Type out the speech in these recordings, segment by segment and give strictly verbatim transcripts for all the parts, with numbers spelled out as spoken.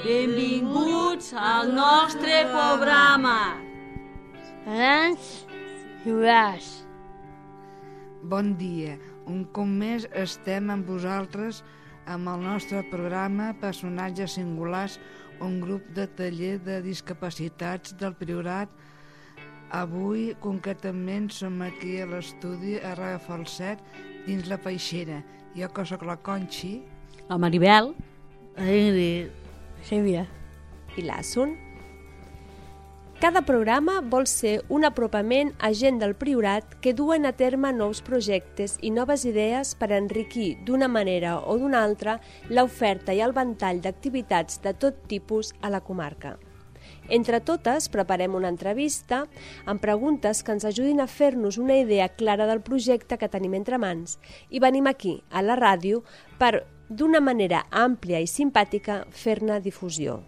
Benvinguts al nostre programa. Grans Juars. Bon dia. Un cop més estem amb vosaltres amb el nostre programa Personatges Singulars, un grup de taller de discapacitats del Priorat. Avui, concretament, som aquí a l'estudi a Ràdio Falset, dins la Peixera. Jo que soc la Conxi. La Maribel. La Ingrid. Sílvia. I l'Assun. Cada programa vol ser un apropament a gent del Priorat que duen a terme nous projectes i noves idees per enriquir d'una manera o d'una altra l'oferta i el ventall d'activitats de tot tipus a la comarca. Entre totes, preparem una entrevista amb preguntes que ens ajudin a fer-nos una idea clara del projecte que tenim entre mans i venim aquí, a la ràdio, per, d'una manera àmplia i simpàtica, fer-ne difusió.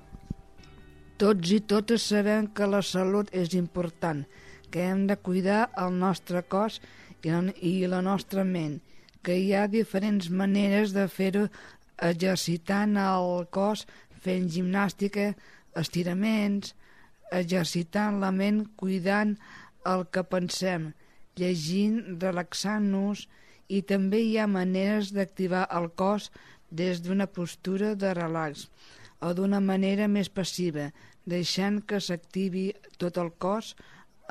Tots i totes sabem que la salut és important, que hem de cuidar el nostre cos i la nostra ment, que hi ha diferents maneres de fer-ho, exercitant el cos, fent gimnàstica, estiraments, exercitant la ment, cuidant el que pensem, llegint, relaxant-nos, i també hi ha maneres d'activar el cos des d'una postura de relax o d'una manera més passiva, deixant que s'activi tot el cos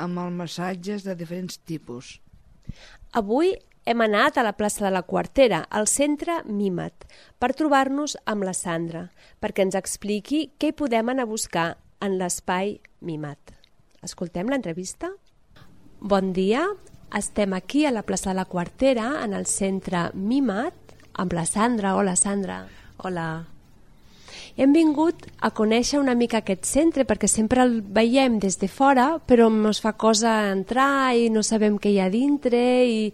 amb els massatges de diferents tipus. Avui hem anat a la plaça de la Quartera, al centre Mimat, per trobar-nos amb la Sandra, perquè ens expliqui què hi podem anar a buscar en l'espai Mimat. Escoltem l'entrevista? Bon dia, estem aquí a la plaça de la Quartera, en el centre Mimat, amb la Sandra. Hola, Sandra. Hola. Hem vingut a conèixer una mica aquest centre perquè sempre el veiem des de fora, però ens fa cosa entrar i no sabem què hi ha dintre i,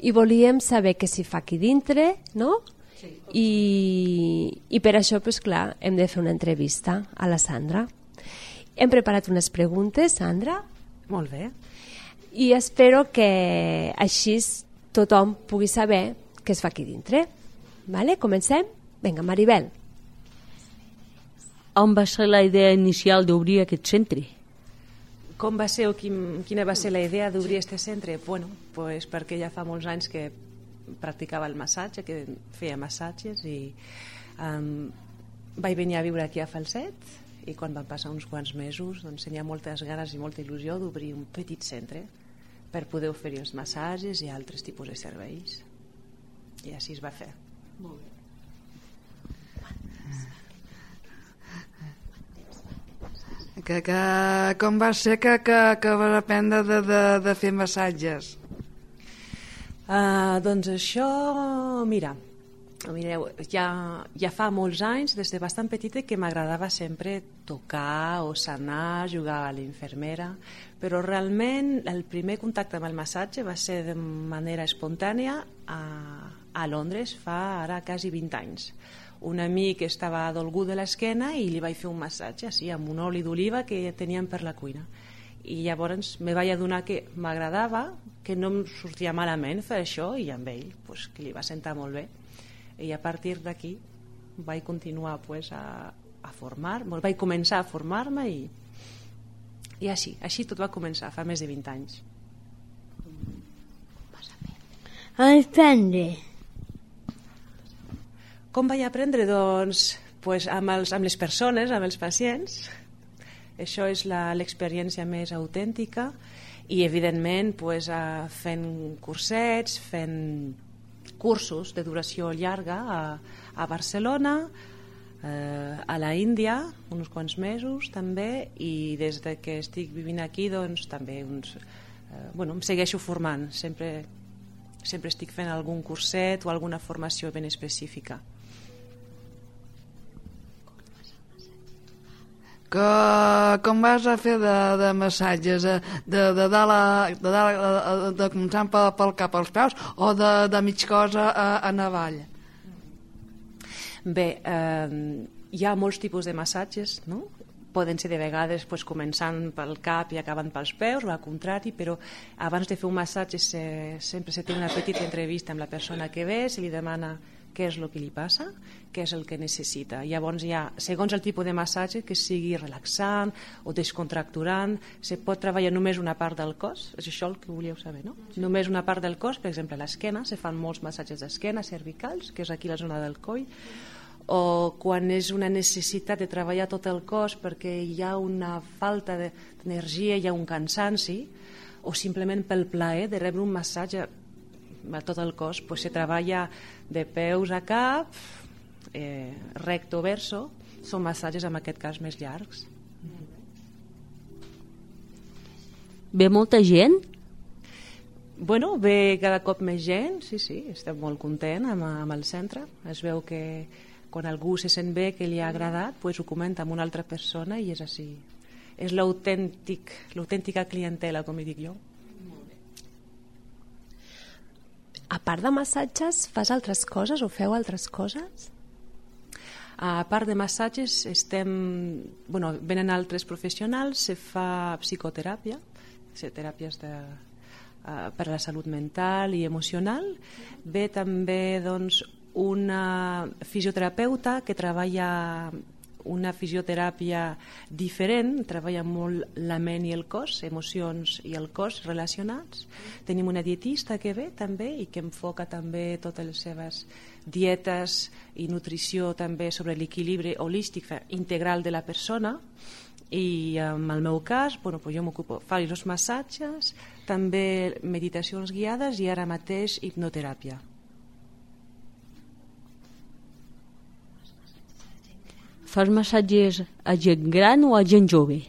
i volíem saber què s'hi fa aquí dintre, no? Sí. I, i per això, pues, clar, hem de fer una entrevista a la Sandra. Hem preparat unes preguntes, Sandra. Molt bé. I espero que així tothom pugui saber què es fa aquí dintre. Vale? Comencem? Vinga, Maribel. On va ser la idea inicial d'obrir aquest centre? Com va ser o quin, quina va ser la idea d'obrir aquest centre? Bueno, pues perquè ja fa molts anys que practicava el massatge, que feia massatges i um, vaig venir a viure aquí a Falset i quan van passar uns quants mesos doncs tenia moltes ganes i molta il·lusió d'obrir un petit centre per poder oferir els massatges i altres tipus de serveis. I així es va fer. Molt bé. Que, que, com va ser que, que, que vas aprendre de, de, de fer massatges? Uh, doncs això, mira, mireu, ja, ja fa molts anys, des de bastant petita, que m'agradava sempre tocar o sanar, jugar a l'infermera, però realment el primer contacte amb el massatge va ser de manera espontània a, a Londres fa ara quasi vint anys. Un amic estava dolgut de l'esquena i li vaig fer un massatge així, amb un oli d'oliva que teníem per la cuina. I llavors me vaig adonar que m'agradava, que no em sortia malament fer això, i amb ell pues, que li va sentar molt bé. I a partir d'aquí vaig continuar pues, a, a formar, vaig començar a formar-me i, i així, així tot va començar, fa més de vint anys. A aprendre. Com vaig aprendre? Doncs pues, amb, els, amb les persones, amb els pacients. Això és l'experiència més autèntica i, evidentment, pues, uh, fent cursets, fent cursos de duració llarga a, a Barcelona, uh, a la Índia, uns quants mesos també, i des de que estic vivint aquí, doncs, també uns, uh, bueno, em segueixo formant. Sempre, sempre estic fent algun curset o alguna formació ben específica. Que, com vas a fer de, de massatges, de, de, de, dalt a, de, dalt a, de començant pel, pel cap als peus o de, de mig cos a, a navall? Bé, eh, hi ha molts tipus de massatges, no? Poden ser de vegades pues, començant pel cap i acabant pels peus o al contrari, però abans de fer un massatge se, sempre se té una petita entrevista amb la persona que ve, se li demana què és el que li passa, què és el que necessita. Llavors ja, segons el tipus de massatge, que sigui relaxant o descontracturant, se pot treballar només una part del cos, és això el que volíeu saber, no? Només una part del cos, per exemple l'esquena, se fan molts massatges d'esquena, cervicals, que és aquí la zona del coll, o quan és una necessitat de treballar tot el cos perquè hi ha una falta d'energia, hi ha un cansanci, o simplement pel plaer de rebre un massatge a tot el cos, pues se treballa de peus a cap, eh, recto verso, són massatges en aquest cas més llargs. Ve molta gent? Bueno, ve cada cop més gent, sí, sí, estem molt contents amb, amb el centre. Es veu que quan algú se sent bé, que li ha agradat, pues ho comenta amb una altra persona i és així. És l'autèntic, l'autèntica clientela, com hi dic jo. A part de massatges, fas altres coses o feu altres coses? A part de massatges, estem, bueno, venen altres professionals, se fa psicoteràpia, teràpies de, uh, per a la salut mental i emocional. Ve també doncs, una fisioterapeuta que treballa una fisioteràpia diferent, treballa molt la ment i el cos, emocions i el cos relacionats. Tenim una dietista que ve també i que enfoca també totes les seves dietes i nutrició també sobre l'equilibri holístic integral de la persona. I en el meu cas, bueno, pues jo m'ocupo, faig els massatges, també meditacions guiades i ara mateix hipnoteràpia. Fas massatges a gent gran o a gent jove?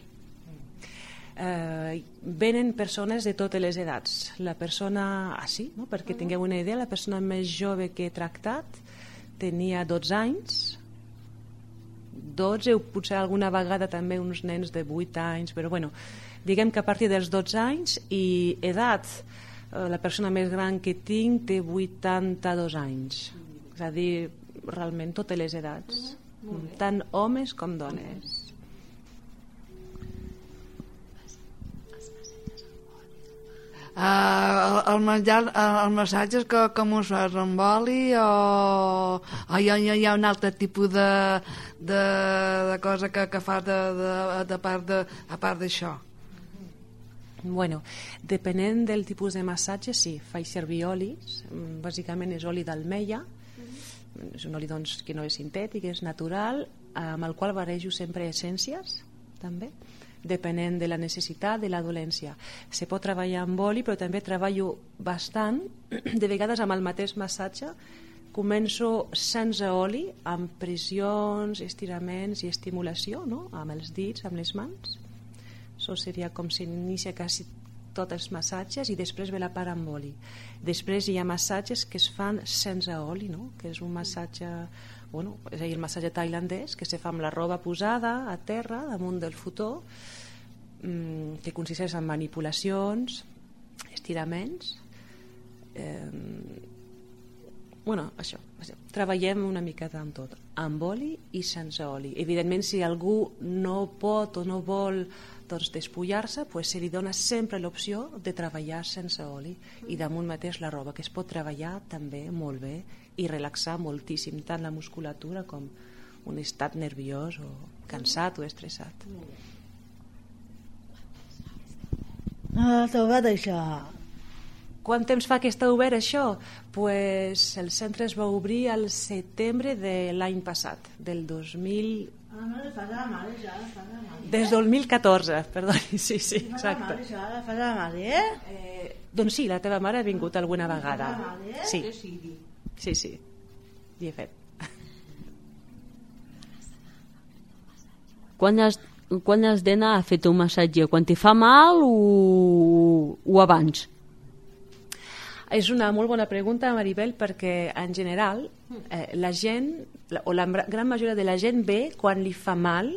Eh, venen persones de totes les edats. La persona, ah sí, no? Perquè tingueu una idea, la persona més jove que he tractat tenia dotze anys, dotze o potser alguna vegada també uns nens de vuit anys, però bueno, diguem que a partir dels dotze anys i edat, eh, la persona més gran que tinc té vuitanta-dos anys, és a dir, realment totes les edats, tant homes com dones. Uh, el, el menjar, el massatge que, com us fas, amb oli o, o hi, ha, hi ha un altre tipus de, de, de cosa que, que fas de, de, de part de, a part d'això? Bueno, depenent del tipus de massatge, sí, faig servir olis, bàsicament és oli d'almeia, és un oli doncs, que no és sintètic, és natural, amb el qual barejo sempre essències, també, depenent de la necessitat, de la dolència. Se pot treballar amb oli, però també treballo bastant, de vegades amb el mateix massatge, començo sense oli, amb pressions, estiraments i estimulació, no? Amb els dits, amb les mans. Això seria com si inicia quasi tots els massatges i després ve la part amb oli. Després hi ha massatges que es fan sense oli, no? Que és un massatge, bueno, és a dir, el massatge tailandès, que se fa amb la roba posada a terra, damunt del futó, mmm, que consisteix en manipulacions, estiraments, eh, bueno, això, treballem una miqueta amb tot, amb oli i sense oli. Evidentment, si algú no pot o no vol doncs, despullar-se, pues, se li dona sempre l'opció de treballar sense oli i damunt mateix la roba, que es pot treballar també molt bé i relaxar moltíssim tant la musculatura com un estat nerviós o cansat o estressat. No, t'ho va deixar. Quant temps fa que està obert això? Pues el centre es va obrir al setembre de l'any passat, del dos mil... Des del dos mil catorze, perdoni, sí, sí, exacte. Eh, doncs sí, la teva mare ha vingut alguna vegada. Sí, sí, sí, hi he fet. Quan has, quan has d'anar a fer-te un massatge? Quan te fa mal o, o abans? És una molt bona pregunta, Maribel, perquè en general eh, la gent, o la gran majoria de la gent ve quan li fa mal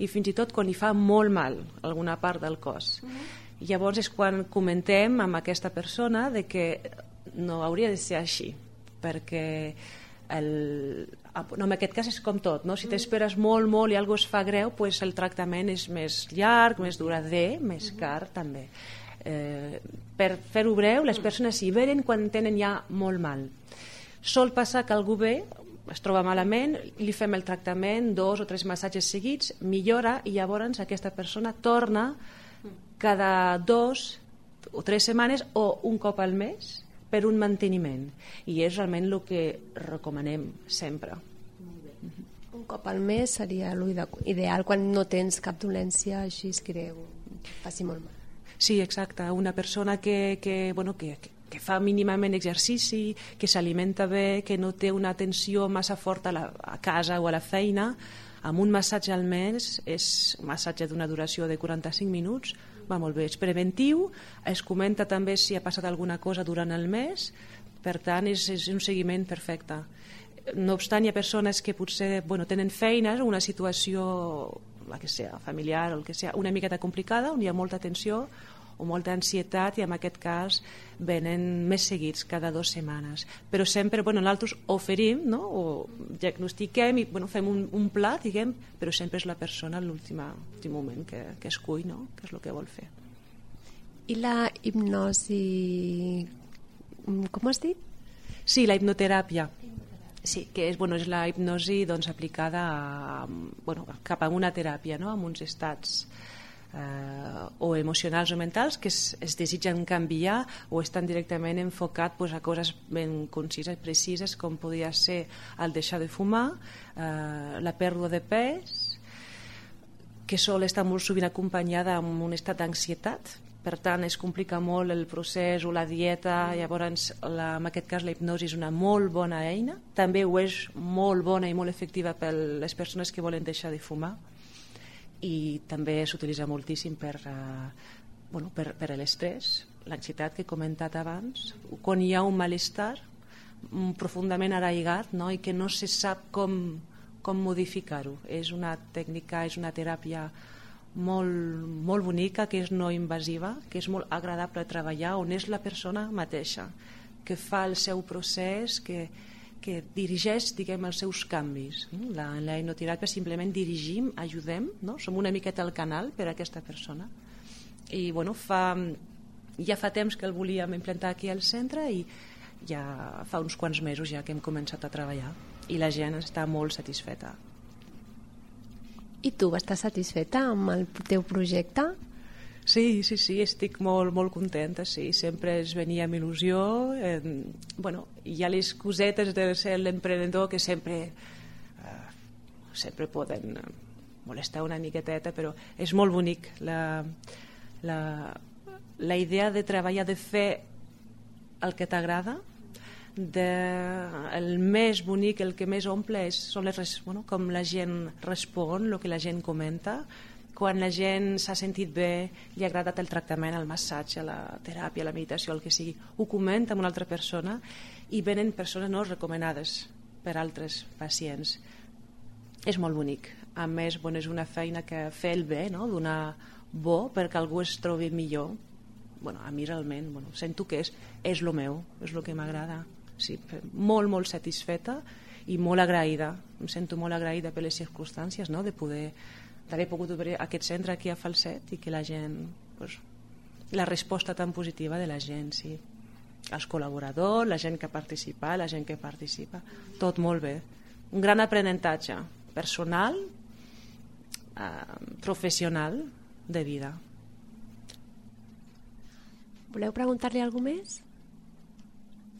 i fins i tot quan li fa molt mal alguna part del cos. Uh-huh. Llavors és quan comentem amb aquesta persona de que no hauria de ser així, perquè el, no, en aquest cas és com tot, no? Si t'esperes molt, molt i alguna cosa es fa greu, pues el tractament és més llarg, més durader, més car també. Eh, per fer-ho breu, les persones hi venen quan tenen ja molt mal. Sol passar que algú ve es troba malament, li fem el tractament, dos o tres massatges seguits, millora i llavors aquesta persona torna cada dos o tres setmanes o un cop al mes per un manteniment, i és realment el que recomanem sempre. Un cop al mes seria l'ideal quan no tens cap dolència així greu, faci molt mal. Sí, exacte, una persona que, que, bueno, que, que fa mínimament exercici, que s'alimenta bé, que no té una tensió massa forta a, la, a casa o a la feina, amb un massatge al mes, és un massatge d'una duració de quaranta-cinc minuts, va molt bé, és preventiu, es comenta també si ha passat alguna cosa durant el mes, per tant és, és un seguiment perfecte. No obstant, hi ha persones que potser bueno, tenen feines o una situació, la que sea, familiar o el que sea, una miqueta complicada, on hi ha molta tensió o molta ansietat, i en aquest cas venen més seguits cada dues setmanes. Però sempre, bueno, nosaltres oferim, no? O diagnostiquem i bueno, fem un, un pla, diguem, però sempre és la persona a l'últim moment que, que escull, no? Que és el que vol fer. I la hipnosi, com has dit? Sí, la hipnoteràpia. Sí, que és, bueno, és la hipnosi doncs, aplicada a, bueno, cap a una teràpia, no? Amb uns estats eh, o emocionals o mentals que es, es desitgen canviar o estan directament enfocats pues, a coses ben concises, precises, com podria ser el deixar de fumar, eh, la pèrdua de pes, que sol estar molt sovint acompanyada amb un estat d'ansietat. Per tant, es complica molt el procés o la dieta, llavors la, en aquest cas la hipnosi és una molt bona eina, també ho és molt bona i molt efectiva per les persones que volen deixar de fumar, i també s'utilitza moltíssim per, uh, bueno, per, per l'estrès, l'ansietat que he comentat abans, quan hi ha un malestar profundament arraigat, no? I que no se sap com, com modificar-ho. És una tècnica, és una teràpia molt, molt bonica, que és no invasiva, que és molt agradable treballar, on és la persona mateixa que fa el seu procés, que, que dirigeix, diguem, els seus canvis. La, la hipnoteràpia simplement dirigim, ajudem, no? Som una miqueta el canal per a aquesta persona. I bueno, fa, ja fa temps que el volíem implantar aquí al centre i ja fa uns quants mesos ja que hem començat a treballar i la gent està molt satisfeta. I tu estàs satisfeta amb el teu projecte? Sí, sí, sí, estic molt, molt contenta, sí, sempre es venia amb il·lusió. Eh, bueno, hi ha les cosetes de ser l'emprenedor que sempre, eh, sempre poden molestar una miqueteta, però és molt bonic. La, la, la idea de treballar, de fer el que t'agrada, de, el més bonic, el que més omple és, són les, bueno, com la gent respon, el que la gent comenta, quan la gent s'ha sentit bé, li ha agradat el tractament, el massatge, la teràpia, la meditació, el que sigui, ho comenta amb una altra persona i venen persones no recomanades per altres pacients. És molt bonic. A més, bueno, és una feina que fer el bé, no? Donar bo perquè algú es trobi millor. Bueno, a mi realment bueno, sento que és, és el meu, és el que m'agrada. Sí, molt, molt satisfeta i molt agraïda. Em sento molt agraïda per les circumstàncies, no? De poder d'haver pogut obrir aquest centre aquí a Falset i que la gent, pues, la resposta tan positiva de la gent, sí. Els col·laboradors, la gent que participa, la gent que participa, tot molt bé. Un gran aprenentatge personal, eh, professional, de vida. Voleu preguntar-li alguna cosa més?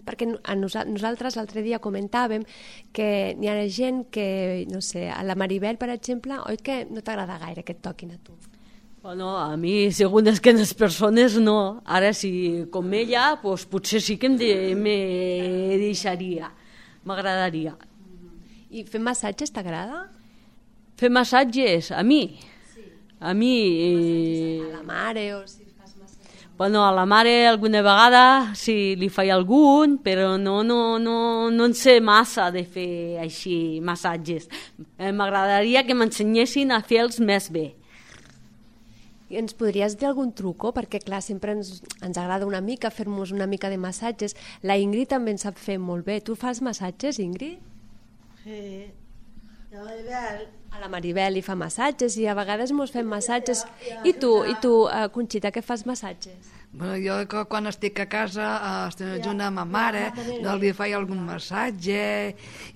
Perquè a nosaltres l'altre dia comentàvem que hi ha gent que, no sé, a la Maribel, per exemple, oi que no t'agrada gaire que et toquin a tu? Bueno, a mi, segons que les persones, no. Ara, si com ella, pues, potser sí que em de, me deixaria. M'agradaria. I fer massatges t'agrada? Fer massatges? A mi? Sí. A mi... Eh... A la mare o si... Bueno, a la mare alguna vegada sí, li faig algun, però no, no, no, no en sé massa de fer així massatges. Eh, M'agradaria que m'ensenyessin a fer-los més bé. I ens podries dir algun truco? Perquè, clar, sempre ens, ens agrada una mica fer-nos una mica de massatges. La Ingrid també en sap fer molt bé. Tu fas massatges, Ingrid? Sí. La Maribel. A la Maribel li fa massatges i a vegades mos fem massatges. I tu, i tu, Conxita, què fas massatges? Bueno, jo que quan estic a casa eh, estic junt amb ma mare, doncs li faig algun massatge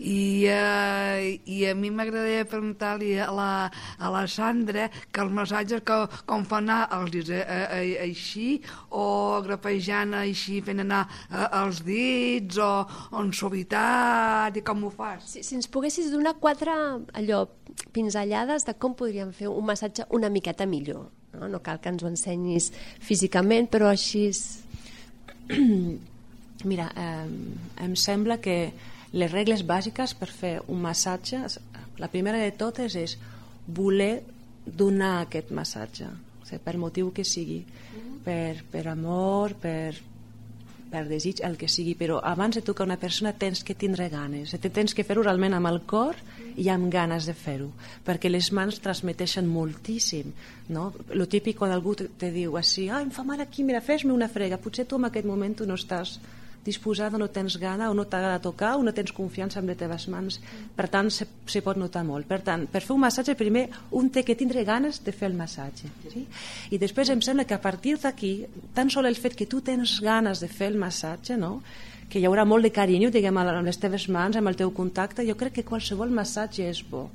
i, eh, i a mi m'agradaria preguntar-li a la, a la Sandra que els massatges que, com fan anar els eh, eh, així o grapejant així fent anar eh, els dits o, o en suavitat i com ho fas? Si, si ens poguessis donar quatre allò pinzellades de com podríem fer un massatge una miqueta millor. No, no cal que ens ho ensenyis físicament, però així... Mira, eh, em sembla que les regles bàsiques per fer un massatge, la primera de totes és voler donar aquest massatge, o sigui, per motiu que sigui, per, per amor, per, per desig, el que sigui, però abans de tocar una persona tens que tindre ganes, tens que fer-ho realment amb el cor i amb ganes de fer-ho, perquè les mans transmeteixen moltíssim, no? Lo típic quan algú te, te diu així, ah, em fa mal aquí, mira, fes-me una frega, potser tu en aquest moment tu no estàs disposada, no tens gana o no t'agrada tocar o no tens confiança en les teves mans, per tant se, se pot notar molt. Per tant, per fer un massatge primer un té que tindre ganes de fer el massatge, sí? I després em sembla que a partir d'aquí tan sol el fet que tu tens ganes de fer el massatge, no? Que hi haurà molt de carinyo, diguem, amb les teves mans, amb el teu contacte, jo crec que qualsevol massatge és bo,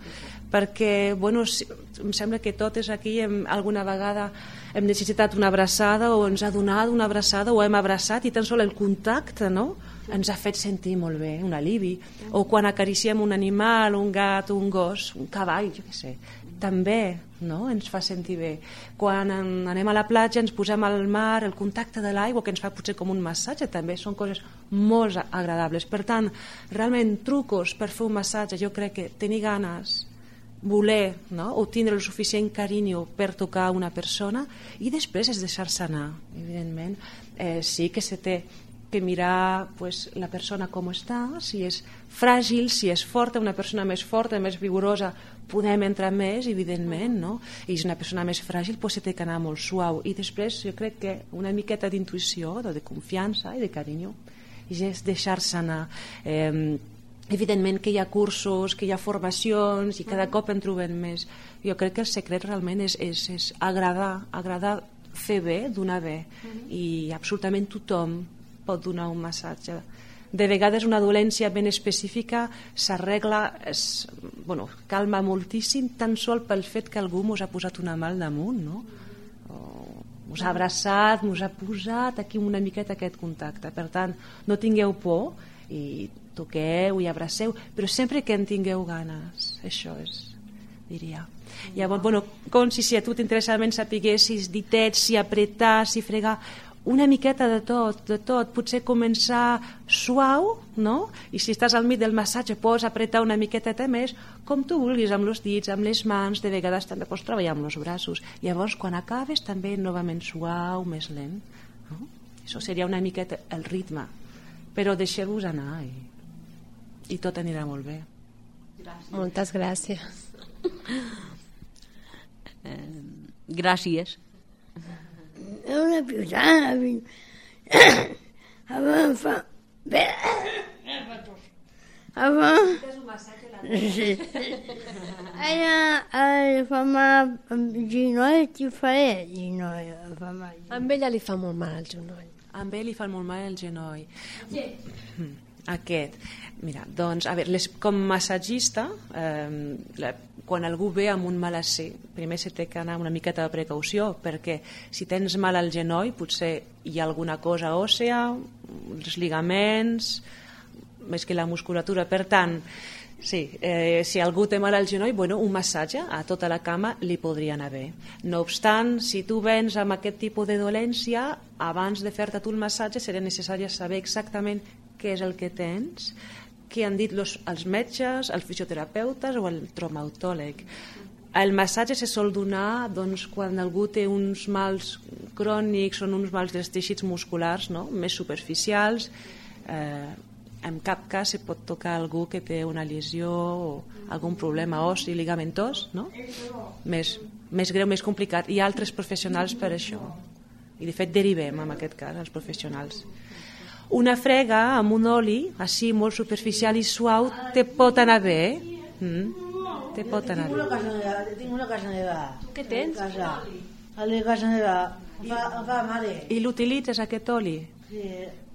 perquè, bueno, si, em sembla que totes aquí hem, alguna vegada hem necessitat una abraçada o ens ha donat una abraçada o hem abraçat i tan sol el contacte, no?, ens ha fet sentir molt bé, un alivi. O quan acariciem un animal, un gat, un gos, un cavall, jo què sé, també, no?, ens fa sentir bé. Quan anem a la platja, ens posem al mar, el contacte de l'aigua, que ens fa potser com un massatge, també són coses molt agradables. Per tant, realment, trucos per fer un massatge, jo crec que tenir ganes, voler, no?, o tindre el suficient carinyo per tocar una persona, i després és deixar-se anar, evidentment. Eh, sí que se té que mirar, pues, la persona com està, si és fràgil, si és forta, una persona més forta, més vigorosa, podem entrar més, evidentment, no? I si és una persona més fràgil, pues, se té que anar molt suau. I després jo crec que una miqueta d'intuïció, de confiança i de carinyo, i és deixar-se anar. Eh, evidentment que hi ha cursos, que hi ha formacions i cada cop en trobem més. Jo crec que el secret realment és, és, és agradar, agradar fer bé, donar bé, i absolutament tothom pot donar un massatge. De vegades una dolència ben específica s'arregla, bueno, calma moltíssim tan sol pel fet que algú mos ha posat una mà al damunt, no? O mos ha abraçat, mos ha posat aquí una miqueta aquest contacte. Per tant, no tingueu por i toqueu i abraceu, però sempre que en tingueu ganes, això és, diria. Llavors, bueno, com si, si a tu t'interessa sapiguessis ditets, si apretar, si fregar, una miqueta de tot, de tot, potser començar suau, no? I si estàs al mig del massatge pots apretar una miqueta més, com tu vulguis, amb els dits, amb les mans, de vegades també pots treballar amb els braços. Llavors, quan acabes, també novament suau, més lent, no? Això seria una miqueta el ritme, però deixeu-vos anar i, i tot anirà molt bé. Gràcies. Moltes gràcies. Eh, gràcies. Una piutana. Abans fa... Abans... Sí. Ella fa mal al genoll, t'hi faré genoll. Fa mal. Amb ella li fa molt mal el genoll. Amb ell li fa molt mal el genoll. Sí. Aquest. Mira, doncs, a veure, les, com massatgista, eh, la, quan algú ve amb un malasser, primer se té que anar una miqueta de precaució, perquè si tens mal al genoll, potser hi ha alguna cosa òssea, els ligaments, més que la musculatura. Per tant, sí, eh, si algú té mal al genoll, bueno, un massatge a tota la cama li podria anar bé. No obstant, si tu vens amb aquest tipus de dolència, abans de fer-te tu el massatge seria necessari saber exactament què és el que tens, què han dit los, els metges, els fisioterapeutes o el traumatòleg. El massatge se sol donar, doncs, quan algú té uns mals crònics o uns mals dels teixits musculars, no?, més superficials. Eh, en cap cas se pot tocar algú que té una lesió o algun problema ossi, ligamentós, no?, més, més greu, més complicat. Hi ha altres professionals per això. I de fet derivem en aquest cas els professionals. Una frega amb un oli així molt superficial i suau te pot anar bé. Mm? Te pot anar bé. Tinc una casa nevada. Tu què tens? A la casa nevada. Em fa, em fa mare. I l'utilitzes, aquest oli? Sí.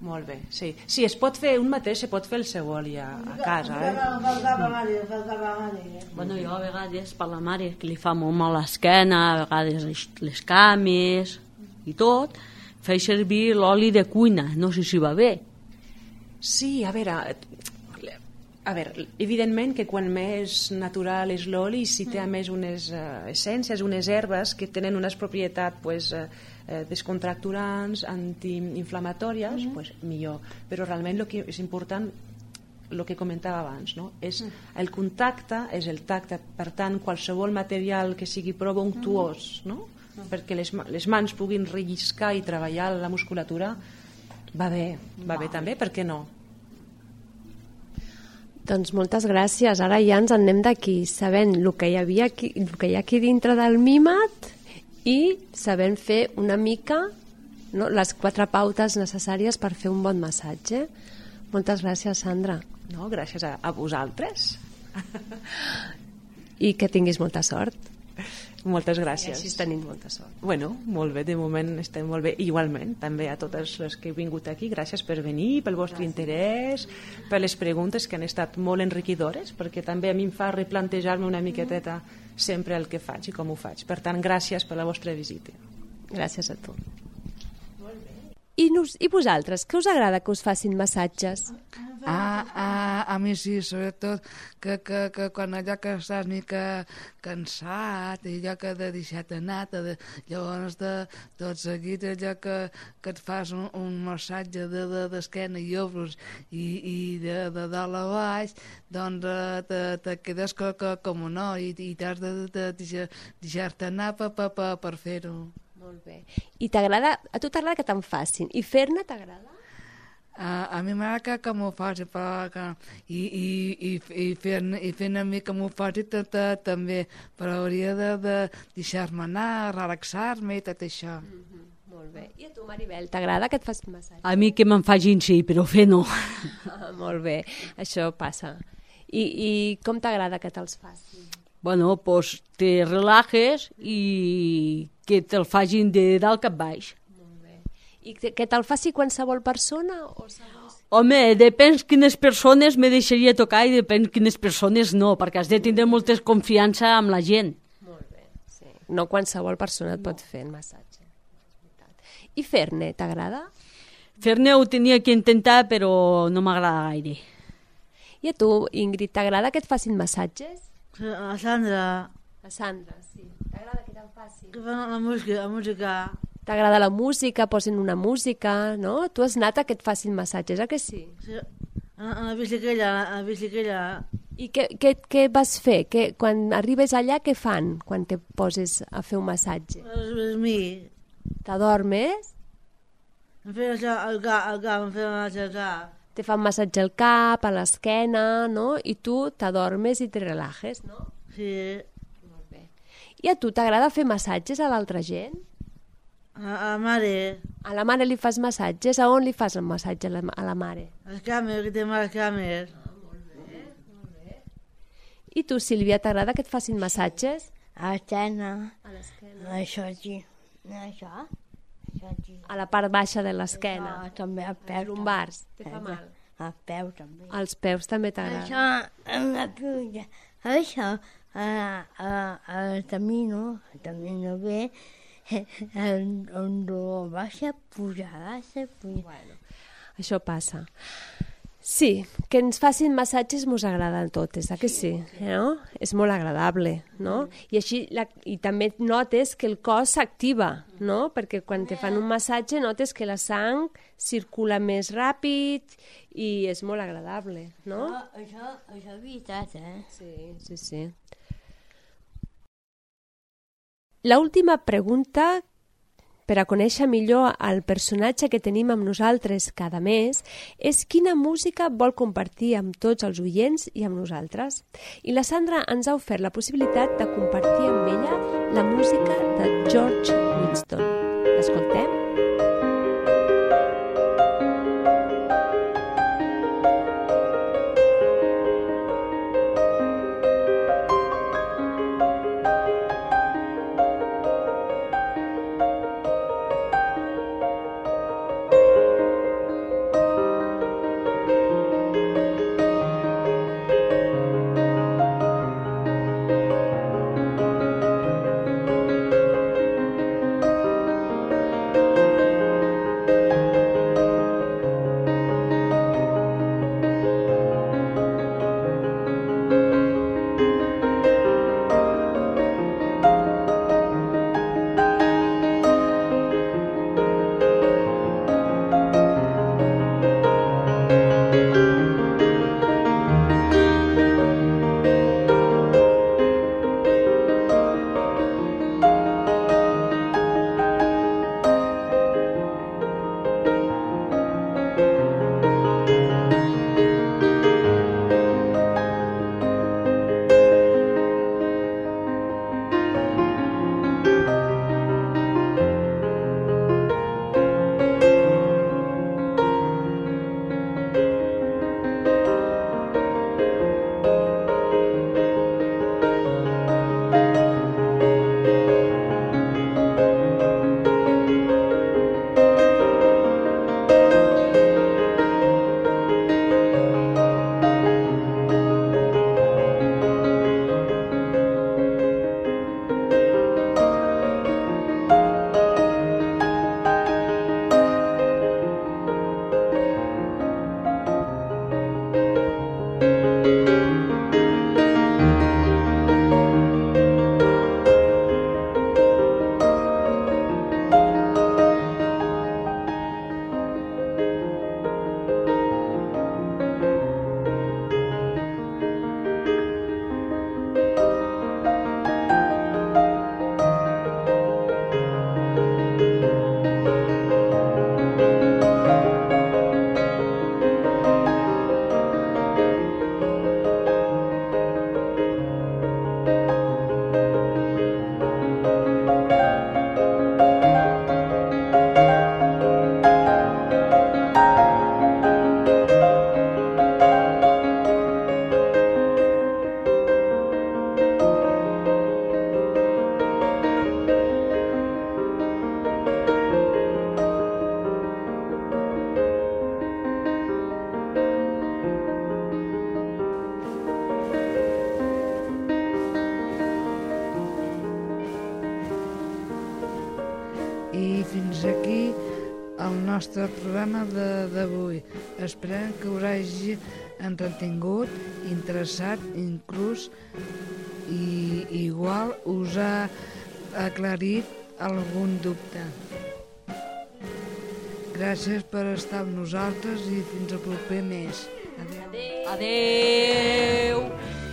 Molt bé, sí. Sí, es pot fer un mateix, se pot fer el seu oli a, a casa, eh? Em fa el cap a mare, em fa el cap a mare. Bueno, jo a vegades, per la mare, que li fa molt mal l'esquena, a vegades les, les cames i tot, faig servir l'oli de cuina, no sé si va bé. Sí, a veure, a veure, evidentment que quan més natural és l'oli, si té a més unes uh, essències, unes herbes que tenen unes propietats pues, uh, uh, descontracturants, antiinflamatòries, mm. pues, millor. Però realment el que és important, el que comentava abans, no? És el contacte, és el tacte, per tant, qualsevol material que sigui prou unctuós, no? Mm. perquè les, les mans puguin relliscar i treballar la musculatura, va bé, va bé també, per què no? Doncs moltes gràcies. Ara ja ens en anem d'aquí, sabent el que hi havia aquí, el que hi ha aquí dintre del mímat i sabent fer una mica, no, les quatre pautes necessàries per fer un bon massatge. Moltes gràcies, Sandra. No, gràcies a, a vosaltres. I que tinguis molta sort. Moltes gràcies. I així tenim molta sort. Bueno, molt bé, de moment estem molt bé. Igualment, també a totes les que heu vingut aquí, gràcies per venir, pel vostre gràcies. interès, per les preguntes que han estat molt enriquidores, perquè també a mi em fa replantejar-me una miqueteta sempre el que faig i com ho faig. Per tant, gràcies per la vostra visita. Gràcies a tu. Molt bé. I, nos, I vosaltres, què us agrada que us facin massatges? Ah, ah, a mi sí, sobretot que, que, que quan allò que estàs mica cansat i allò que de deixat anar, de, llavors de tot seguit allò que, que et fas un, un massatge de, de, d'esquena i ombres i, i de, de dalt a baix, doncs eh, te, te quedes co, co, com un no i, i t'has de, de, de deixar-te anar per, per, per, per fer-ho. Molt bé. I t'agrada, a tu t'agrada que te'n facin? I fer-ne t'agrada? Uh, a mi m'agrada que, que m'ho faci, però que, i, i, i, i fent i fent a mi que m'ho faci també, però hauria de, de deixar-me anar, relaxar-me i tot això. Mm-hmm. Molt bé. I a tu, Maribel, t'agrada que et facin massatge? A mi que me'n facin sí, però fer no. Ah, molt bé, això passa. I, i com t'agrada que te'ls facin? Bueno, pues te relajes i que te'l facin de dalt cap baix. I que, que te'l faci qualsevol persona? O segons... Home, depèn quines persones me deixaria tocar i depèn quines persones no, perquè has de tindre molta confiança amb la gent. Molt bé, sí. No qualsevol persona et pot fer el massatge. I fer-ne, t'agrada? Fer-ne ho tenia que intentar, però no m'agrada gaire. I a tu, Ingrid, t'agrada que et facin massatges? A Sandra. A Sandra, sí. T'agrada que te'l facin? Que fan la música, la música. T'agrada la música, posen una música, no? Tu has anat a que et facin massatges, eh que sí? Sí. A, a la bicicleta, a la bicicleta. I què, què, què vas fer? Que, quan arribes allà, què fan quan te poses a fer un massatge? És, és mi. T'adormes? Em feien això al cap, al cap, em feien això al cap. Te fan massatge al cap, a l'esquena, no? I tu t'adormes i te relajes, no? Sí. Molt bé. I a tu t'agrada fer massatges a l'altra gent? A, a la mare. A la mare li fas massatges? A on li fas el massatge a la, a la mare? Les cames, que té males cames. Ah, molt bé, molt bé. I tu, Sílvia, t'agrada que et facin massatges? A l'esquena. A l'esquena. Això aquí. Això. Això aquí. A la part baixa de l'esquena. Ah, també al peu. Els lumbars. Te fa mal? Al peu també. Als peus també t'agrada. Això, en la puja. Això, a, a, a camino, el camino bé, on baixa, puja, baixa, puja. Bueno, això passa. Sí, que ens facin massatges mos agraden totes, eh que sí? No? És molt agradable, no? I així la, i també notes que el cos s'activa, no? Perquè quan te fan un massatge notes que la sang circula més ràpid i és molt agradable, no? Això, això és veritat, eh? Sí, sí, sí. La última pregunta, per a conèixer millor el personatge que tenim amb nosaltres cada mes, és quina música vol compartir amb tots els oients i amb nosaltres. I la Sandra ens ha ofert la possibilitat de compartir amb ella la música de George Winston. L'escoltem? nostre programa d'avui. Esperem que us hagi entretingut, interessat, inclús i igual us ha aclarit algun dubte. Gràcies per estar amb nosaltres i fins al proper mes. Adéu. Adéu.